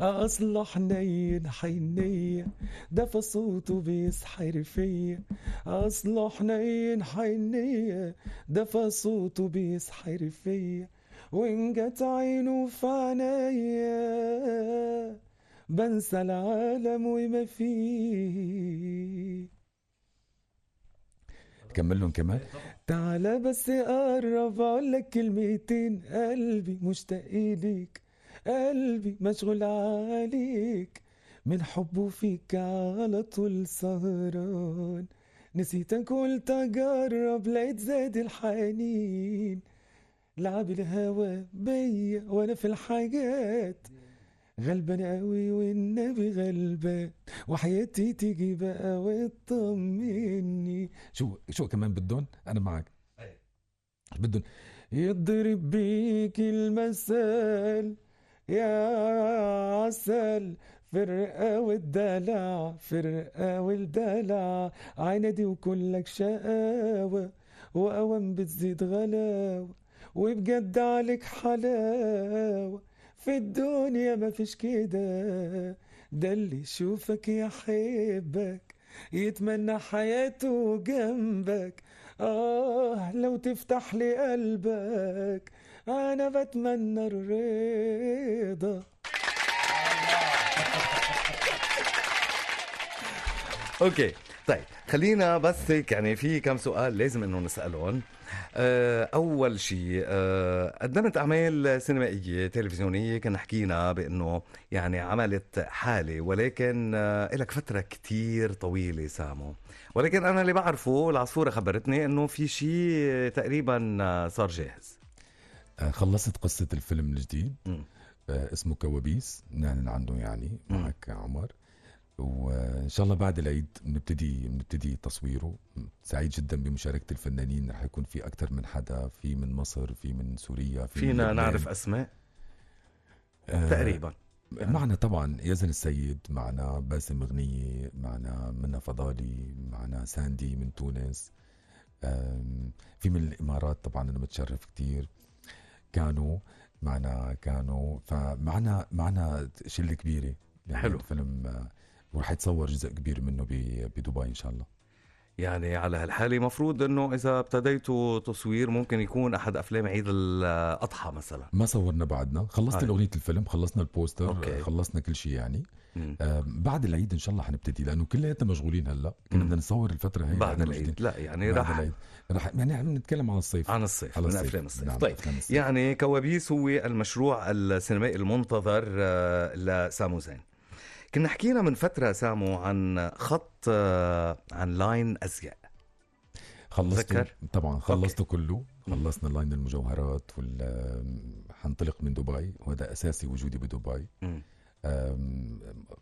أصله حنين حنية دفى صوته بيسحر فيا. أصله حنين حنية دفى صوته بيسحر فيا. وإن جت عينه في عينيا بنسى العالم وما فيه. كمل لهم كمان. تعالى بس قرب اقولك كلمتين، قلبي مشتاق ليك، قلبي مشغول عليك، من حبه فيك على طول سهران. نسيتك قلت اجرب لقيت زاد الحنين. لعب الهوى بيا وانا في الحاجات غلبان قوي والنبي غلبان، وحياتي تيجي بقى وتطمني. شو كمان بدون؟ انا معك. بدون يضرب بيك المثل يا عسل، فرقة والدلع فرقة والدلع، عيندي وكلك شقاوة وأوام بتزيد غلاوة، وبجد عليك حلاوة، في الدنيا ما فيش كده، ده اللي يشوفك يحبك يتمنى حياته جنبك، لو تفتح لي قلبك أنا بتمنى الرضا. اوكي طيب خلينا بس هيك يعني في كم سؤال لازم انه نسألهم. اول شيء قدمت اعمال سينمائيه تلفزيونيه، كنا حكينا بانه يعني عملت حاله، ولكن لك فتره كتير طويله سامو، ولكن انا اللي بعرفه العصفوره خبرتني انه في شيء تقريبا صار جاهز. خلصت قصة الفيلم الجديد م. اسمه كوابيس، نعلن عنه يعني معك عمر، وإن شاء الله بعد العيد بنبتدي تصويره. سعيد جدا بمشاركة الفنانين، رح يكون في أكتر من حدا، في من مصر، في من سوريا، في من فينا لبنان. نعرف أسماء تقريبا؟ معنا طبعا يزن السيد، معنا باسم غنية، معنا منى فضالي، معنا ساندي من تونس، في من الإمارات طبعا أنا متشرف كتير، كانوا فمعنا شلة كبيرة يعني. حلو. الفيلم ورح يتصور جزء كبير منه بدبي إن شاء الله. يعني على هالحالة مفروض انه اذا ابتديتوا تصوير ممكن يكون احد افلام عيد الاضحى مثلا. ما صورنا بعدنا، خلصنا الأغنية الفيلم، خلصنا البوستر، أوكي. خلصنا كل شيء يعني. بعد العيد ان شاء الله حنبتدي، لانه كلياتنا مشغولين هلا، كنا بدنا نصور الفتره هي بعد العيد. لا يعني رح يعني عم نتكلم عن الصيف، عن الصيف، من افلام الصيف. نعم. طيب يعني كوابيس هو المشروع السينمائي المنتظر لسامو زين. كنا حكينا من فتره سامو عن خط عن لاين ازياء، خلصته طبعا، خلصته أوكي. كله، خلصنا لاين المجوهرات حنطلق من دبي، وهذا اساسي وجودي بدبي.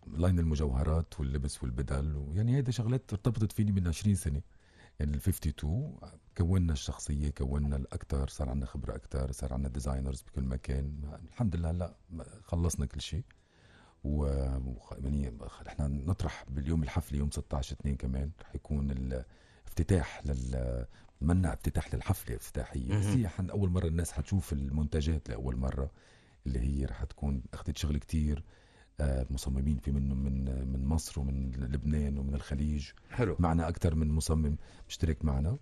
لاين المجوهرات واللبس والبدل، يعني هيدا شغلات ارتبطت فيني من 20 سنة يعني. ال52 كونا الشخصية، كونا الأكتر، صار عنا خبرة أكتر، صار عنا ديزاينرز بكل مكان، الحمد لله. هلا خلصنا كل شيء، يعني احنا نطرح باليوم الحفلي يوم 16/2 كمان رح يكون الافتتاح منع افتتاح للحفلة افتتاحية، بس هي أول مرة الناس حتشوف المنتجات لأول مرة، اللي هي رح تكون أخذت شغل كتير مصممين في منهم من مصر ومن لبنان ومن الخليج. حلو. معنا أكتر من مصمم مشترك معنا،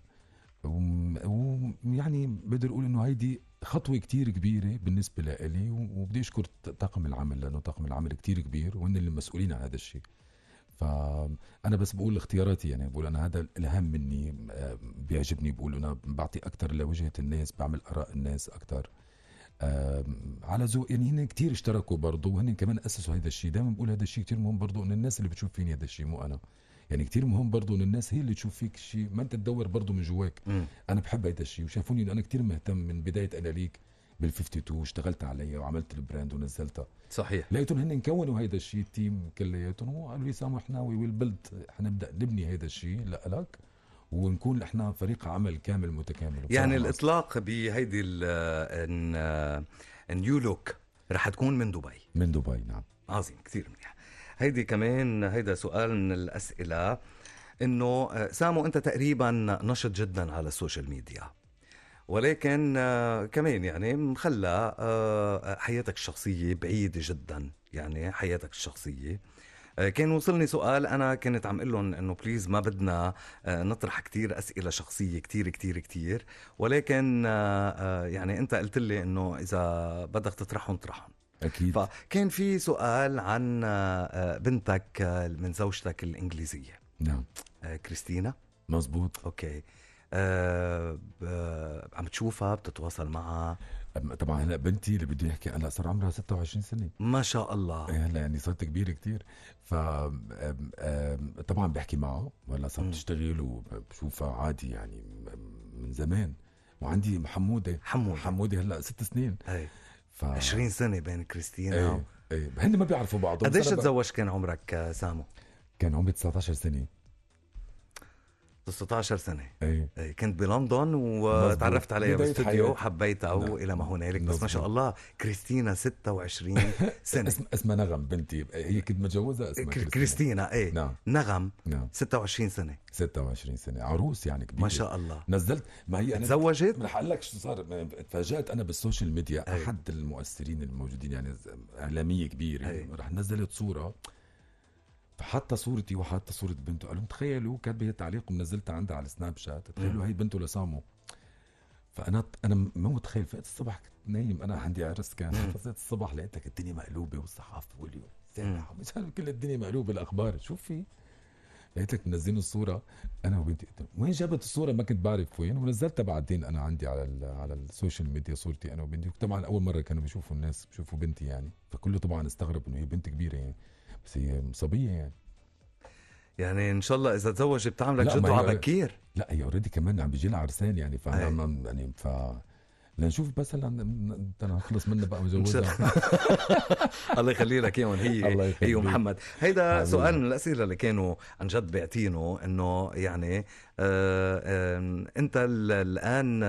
ويعني بقدر أقول إنه هيدي خطوة كتير كبيرة بالنسبة لإلي، وبدي أشكر طاقم العمل، لأنه طاقم العمل كتير كبير وهن اللي مسؤولين عن هذا الشيء. فأنا بس بقول اختياراتي، يعني بقول أنا هذا الأهم مني، بيعجبني، بقول أنا بعطي أكتر لوجهة الناس، بعمل آراء الناس أكتر على ذوق. يعني هن كتير اشتركوا برضو، وهن كمان أسسوا هذا الشيء. دائما بقول هذا الشيء كتير مهم برضو، إن الناس اللي بتشوف فيني هذا الشيء مو أنا، يعني كتير مهم برضو إن الناس هي اللي تشوف فيك شيء، ما أنت تدور برضو من جواك. أنا بحب هذا الشيء، وشافوني إنه أنا كتير مهتم من بداية أنا ليك بال52، اشتغلت عليها وعملت البراند ونزلتها. صحيح. لقيتهم هن كونوا هذا الشيء، التيم كلياتهم، وقالوا لي سامو احنا والبلد حنبدأ نبني هذا الشيء لك، ونكون احنا فريق عمل كامل متكامل. يعني الإطلاق بهيدي النيو لوك رح تكون من دبي. من دبي، نعم. عظيم، كثير منيح. هيدي كمان هيدا سؤال من الأسئلة، إنه سامو أنت تقريبا نشط جدا على السوشيال ميديا، ولكن كمان يعني مخلى حياتك الشخصية بعيدة جدا، يعني حياتك الشخصية. كان وصلني سؤال، أنا كنت عم قلهم إنه بليز ما بدنا نطرح كتير أسئلة شخصية كتير كتير كتير، ولكن يعني أنت قلت لي إنه إذا بدك تطرحهم طرحهم أكيد. فكان في سؤال عن بنتك من زوجتك الإنجليزية. نعم. كريستينا. مزبوط. أوكي. عم تشوفها، بتتواصل معها؟ طبعا هلا بنتي اللي بدي احكي هلا صار عمرها 26 سنة ما شاء الله. هلا يعني صارت كبيرة كتير. ف طبعا بحكي معها، وهلا صارت تشتغل وبشوفها عادي يعني من زمان. وعندي حمودة هلا 6 سنين. 20 سنة بين كريستينا. هن ما بيعرفوا بعض. قديش تزوج كان عمرك سامو؟ كان عمري 19 سنة. 16 سنة. ايه كنت بلندن وتعرفت عليها بداية باستوديو حياتي. وحبيتها نعم. وإلى ما هنالك. بس ما مظبوط. شاء الله كريستينا 26 سنة. اسمها نغم بنتي، هي كنت متجوزة اسمها كريستينا ايه. نعم. نغم نعم 26 سنة 26 سنة، عروس يعني كبيرة ما شاء الله. نزلت، ما هي أنا تزوجت؟ رح أقول لك شو صار. تفاجأت أنا بالسوشيال ميديا، أي. أحد المؤثرين الموجودين يعني إعلامية كبيرة أي. رح نزلت صورة، فحتى صورتي وحتى صورة بنته، قالوا تخيلوا كاتبة تعليق ونزلتها عندها على السناب شات، تخيلوا هي بنته لسامو. فأنا مو متخيل، فقت الصبح كنت نايم، أنا عندي عرس كان، فقت الصبح لقيتك الدنيا مقلوبة والصحافة واليوم سامح مش عارف كل الدنيا مقلوبة، الأخبار شوف في، لقيتك منزلين الصورة أنا وبنتي. وين جابت الصورة ما كنت بعرف وين، ونزلتها بعدين أنا عندي على السوشيال ميديا صورتي أنا وبنتي. طبعا أول مرة كانوا بيشوفوا الناس بيشوفوا بنتي يعني، فكله طبعا استغرب إنه هي بنت كبيرة يعني، بس هي صبية يعني. يعني ان شاء الله اذا تزوج بتعملك لا، جد ما هي- على بكير. لا هي اوريدي كمان عم بيجي لها عرسان يعني، أي. فانا يعني لنشوف بس هلا انت نخلص منها بقى مجوزها. الله يخلي لك اياهم الله هي يخليك. ومحمد. هيدا حبيبي. سؤال من الاسئله اللي كانوا عن جد بيعطينه انه يعني انت الان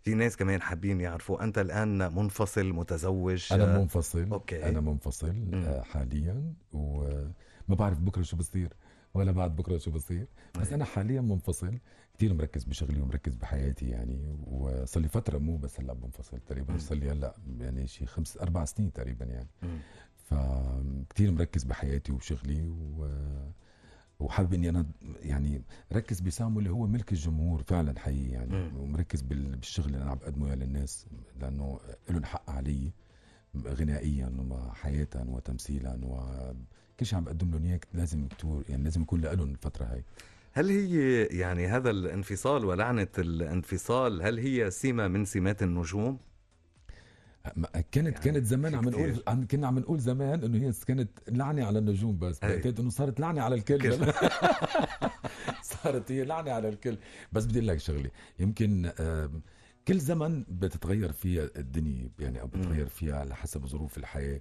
في ناس كمان حابين يعرفوا انت الان منفصل متزوج؟ انا منفصل. أوكي. انا منفصل حاليا، وما بعرف بكره شو بصير ولا بعد بكره شو بصير، بس انا حاليا منفصل، كتير مركز بشغلي ومركز بحياتي يعني. وصار لي فتره مو بس هلا منفصل تقريبا، صار لي هلا يعني شي 4 سنين تقريبا يعني. فكتير مركز بحياتي وبشغلي وحابب اني انا يعني ركز بسامو اللي هو ملك الجمهور فعلا حقيقي يعني. ومركز بالشغل اللي انا عم بقدمه للناس، لانه لهم حق علي غنائيا وحياة وتمثيلا، وكل شيء عم بقدم لهم اياه لازم يعني لازم يكون لهم الفترة هاي. هل هي يعني هذا الانفصال ولعنة الانفصال هل هي سمة من سمات النجوم؟ كانت زمان عم نقول، كنا عم نقول زمان انه هي كانت لعنة على النجوم، بس بعتقد انه صارت لعنة على الكل. صارت هي لعنة على الكل. بس بدي لك شغلة، يمكن كل زمن بتتغير فيها الدنيا يعني، او بتتغير فيها على حسب ظروف الحياة.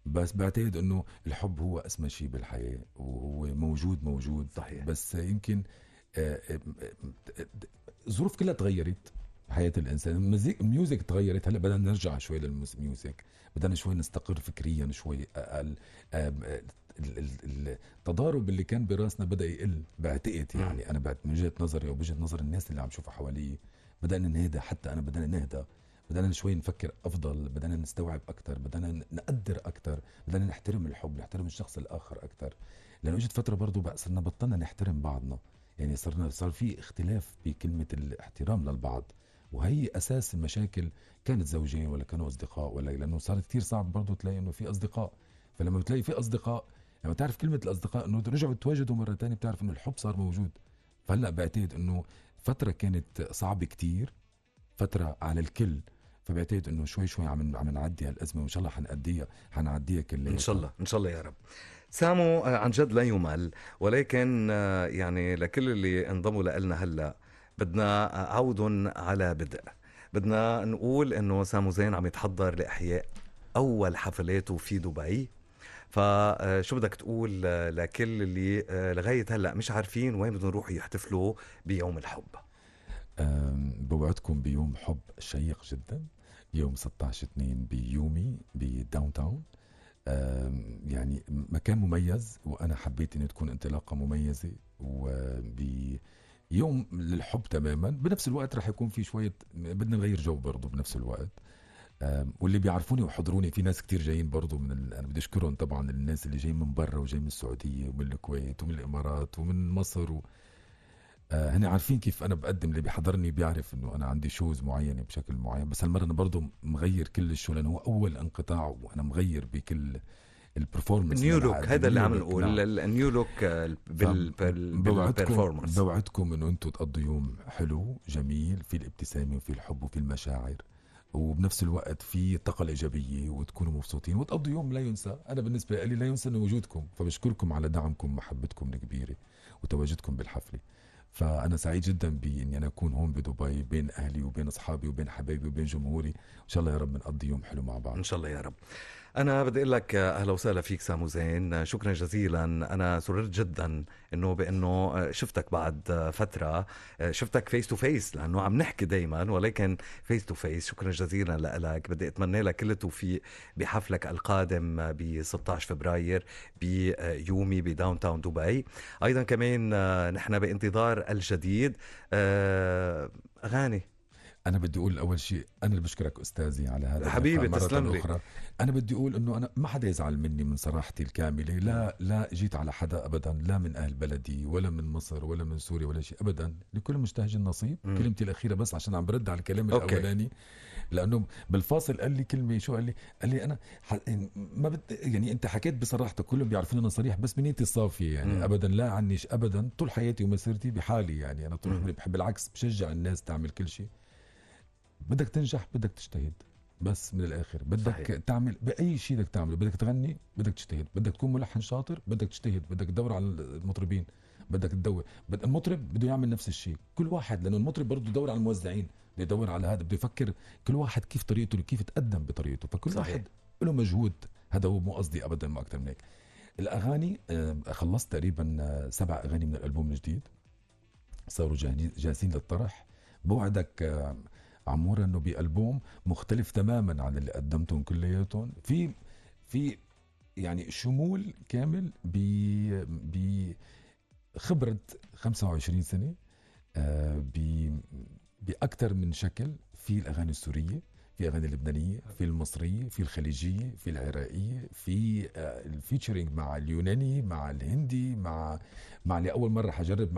بس بعتقد انه الحب هو اسمى شيء بالحياة، وهو موجود صحيح. بس يمكن الظروف كلها تغيرت حياة الإنسان. الميوزك تغيرت، هلأ بدنا نرجع شوي للميوزك، بدنا شوي نستقر فكريا شوي. التضارب اللي كان براسنا بدأ يقل بعتقد يعني. أنا من وجهة نظري وبوجهة نظر الناس اللي عم شوفها حوالي، بدأنا نهدى، حتى أنا بدأنا نهدى، بدأنا شوي نفكر أفضل، بدأنا نستوعب أكتر، بدأنا نقدر أكتر، بدأنا نحترم الحب، نحترم الشخص الآخر أكتر. لأنه اجت فترة برضو بقى صرنا بطلنا نحترم بعضنا يعني، صار في اختلاف بكلمة الاحترام للبعض، وهي أساس المشاكل. كانت زوجين ولا كانوا أصدقاء، ولا لأنه صار كتير صعب برضو تلاقي إنه في أصدقاء. فلما بتلاقي في أصدقاء، لما تعرف كلمة الأصدقاء إنه رجعوا يتواجدوا مرة تانية، بتعرف إنه الحب صار موجود. فهلأ بعتقد إنه فترة كانت صعبة كتير، فترة على الكل، فبعتقد إنه شوي عم نعدي هالأزمة، وإن شاء الله حنعديها كلها إن شاء الله يا رب. سامو عن جد لا يمل، ولكن يعني لكل اللي انضموا لنا هلا بدنا عود على بدء. بدنا نقول انه سامو زين عم يتحضر لاحياء اول حفلاته في دبي، فشو بدك تقول لكل اللي لغايه هلا مش عارفين وين بدهم يروحوا يحتفلوا بيوم الحب؟ بوعدكم بيوم حب شيق جدا، يوم 16/2 بيومي بداون تاون. يعني مكان مميز، وأنا حبيت أن تكون انطلاقة مميزة، وبيوم للحب تماما. بنفس الوقت رح يكون في شوية بدنا نغير جو برضو بنفس الوقت. واللي بيعرفوني وحضروني، في ناس كتير جايين برضو أنا بدي أشكرهم طبعا الناس اللي جايين من برا، وجايين من السعودية ومن الكويت ومن الإمارات ومن مصر هن عارفين كيف أنا بقدم. اللي بيحضرني بيعرف إنه أنا عندي شوز معينة بشكل معين، بس هالمرة أنا برضو مغير كل الشو، لأنه هو أول انقطاع وأنا مغير بكل البرفورمانس. نيو لوك، هذا اللي عم نقول النيو لوك بالبرفورمانس. بوعدكم إنه أنتوا تقضوا يوم حلو جميل، في الابتسامة وفي الحب وفي المشاعر، وبنفس الوقت في طاقة الإيجابية، وتكونوا مبسوطين وتقضوا يوم لا ينسى. أنا بالنسبة لي لا ينسى وجودكم، فبشكركم على دعمكم ومحبتكم الكبيرة وتواجدكم بالحفلة. فأنا سعيد جدا بإني أنا أكون هون بدبي بين أهلي وبين أصحابي وبين حبايبي وبين جمهوري. إن شاء الله يا رب نقضي يوم حلو مع بعض. إن شاء الله يا رب. أنا بدي أقول لك أهلا وسهلا فيك سامو زين، شكرا جزيلا. أنا سررت جدا بأنه شفتك بعد فترة، شفتك فيس تو فيس لأنه عم نحكي دايما ولكن فيس تو فيس. شكرا جزيلا لك. بدي أتمنى لك كل التوفيق بحفلك القادم ب 16 فبراير بيومي بداون تاون دبي. أيضا كمان نحن بانتظار الجديد. أغاني، أنا بدي أقول أول شيء أنا اللي بشكرك أستاذي على هذا حبيبي، مرة تسلم لي. أخرى. أنا بدي أقول إنه أنا ما حدا يزعل مني من صراحتي الكاملة. لا جيت على حدا أبدا، لا من أهل بلدي ولا من مصر ولا من سوريا ولا شيء أبدا. لكل مجتهد نصيب. كلمتي الأخيرة بس عشان عم برد على الكلام الأولاني، لأنه بالفاصل قال لي كلمة، شو قال لي أنا ما يعني أنت حكيت بصراحتك، كلهم بيعرفون أنا صريح بس من نيتي الصافية يعني. أبدا لا عنيش أبدا، طول حياتي ومسيرتي بحالي يعني. أنا طول عمري بحب، بالعكس بشجع الناس تعمل كل شيء. بدك تنجح بدك تجتهد، بس من الآخر بدك صحيح. تعمل بأي شيء بدك تعمله. بدك تغني بدك تجتهد، بدك تكون ملحن شاطر بدك تجتهد، بدك تدور على المطربين بدك تدور. المطرب بده يعمل نفس الشيء، كل واحد، لأنه المطرب برضه يدور على الموزعين، بده يدور على هذا، بده يفكر كل واحد كيف طريقته، كيف تقدم بطريقته. فكل صحيح. واحد له مجهود. هذا هو، مو قصدي أبدا ما أكتر من هيك. الأغاني خلصت تقريبا 7 أغاني من الألبوم الجديد، صاروا جاهزين للطرح. بوعدك عمورة انه بألبوم مختلف تماما عن اللي قدمتهم كلياتهم، في يعني شمول كامل بخبرة 25 سنة، بأكثر من شكل. في الأغاني السورية، في أغاني اللبنانية، في المصرية، في الخليجية، في العراقية، في الفيتشرينج مع اليوناني، مع الهندي، مع اللي أول مرة حجرب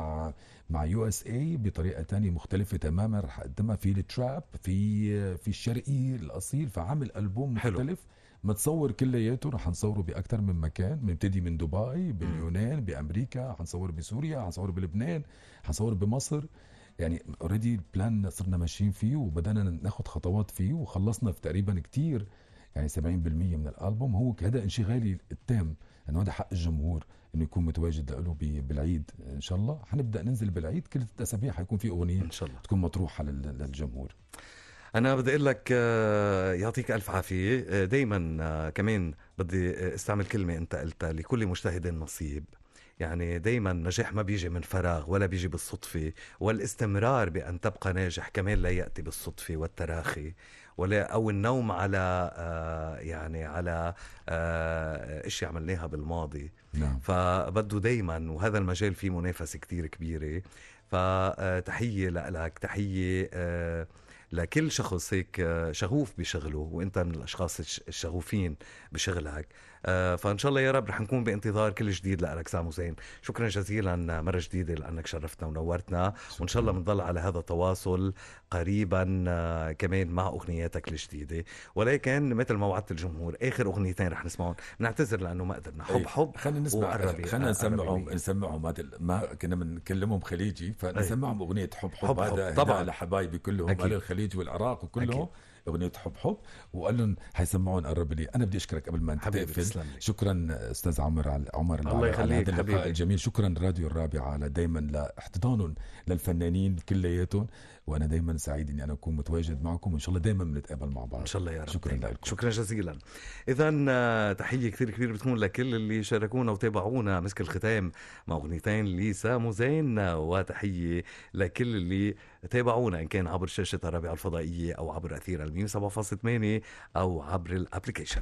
مع USA بطريقة تانية مختلفة تماما رح أقدمها. في التراب، في الشرقي الأصيل. فعمل ألبوم مختلف متصور كلياته. رح نصوره بأكثر من مكان، بنبتدي من دبي، باليونان، بأمريكا، حنصور بسوريا، حنصور بلبنان، حنصور بمصر. يعني اوريدي البلان صرنا ماشيين فيه وبدأنا ناخد خطوات فيه وخلصنا في تقريبا كتير، يعني 70% من الألبوم. هو هذا انشغالي التام، انه هذا حق الجمهور انه يكون متواجد له بالعيد. ان شاء الله حنبدأ ننزل بالعيد كل 6 أسابيع حيكون في أغنية ان شاء الله تكون مطروحة للجمهور. أنا بدي أقول لك يعطيك ألف عافية. دايما كمان بدي استعمل كلمة أنت قلتها، لكل مجتهد نصيب. يعني دايما النجاح ما بيجي من فراغ ولا بيجي بالصدفة، والاستمرار بأن تبقى ناجح كمان لا يأتي بالصدفة والتراخي أو النوم على يعني على إشي عملناها بالماضي. نعم. فبده دايما، وهذا المجال فيه منافسة كتير كبيرة. فتحية لك، تحية لكل شخص هيك شغوف بشغله، وانت من الاشخاص الشغوفين بشغلك. فان شاء الله يا رب رح نكون بانتظار كل جديد لك سامو زين. شكرا جزيلا مرة جديدة لانك شرفتنا ونورتنا، وان شاء الله بنضل على هذا التواصل قريبا كمان مع اغنياتك الجديدة. ولكن مثل ما وعدت الجمهور، اخر اغنيتين رح نسمعهم. نعتذر لانه ما قدرنا. حب خلينا نسمع، خلينا نسمعهم هذا، ما كنا بنكلمهم خليجي، فنسمعهم اغنية حب هذا طبعا على حبايبي كلهم على الخليج والعراق وكلهم. أغنية حب وقال لهم حيسمعون قرب لي. أنا بدي أشكرك قبل ما تقفل. شكرا أستاذ عمر الله يخليك على هذا اللقاء الجميل. شكرا راديو الرابعة على دايما لاحتضانهم للفنانين كلياتهم، وأنا دايما سعيد أني أنا أكون متواجد معكم، وإن شاء الله دايما بنتقابل مع بعض إن شاء الله يا رب. شكرا لكم، شكرا جزيلا. إذن تحية كثير كبيرة بتكون لكل اللي شاركونا وتابعونا مسك الختام مع أغنيتين لسامو زين، وتحية لكل اللي تابعونا إن كان عبر شاشة الرابعة الفضائية أو عبر أثير 107.8 أو عبر الأبليكيشن.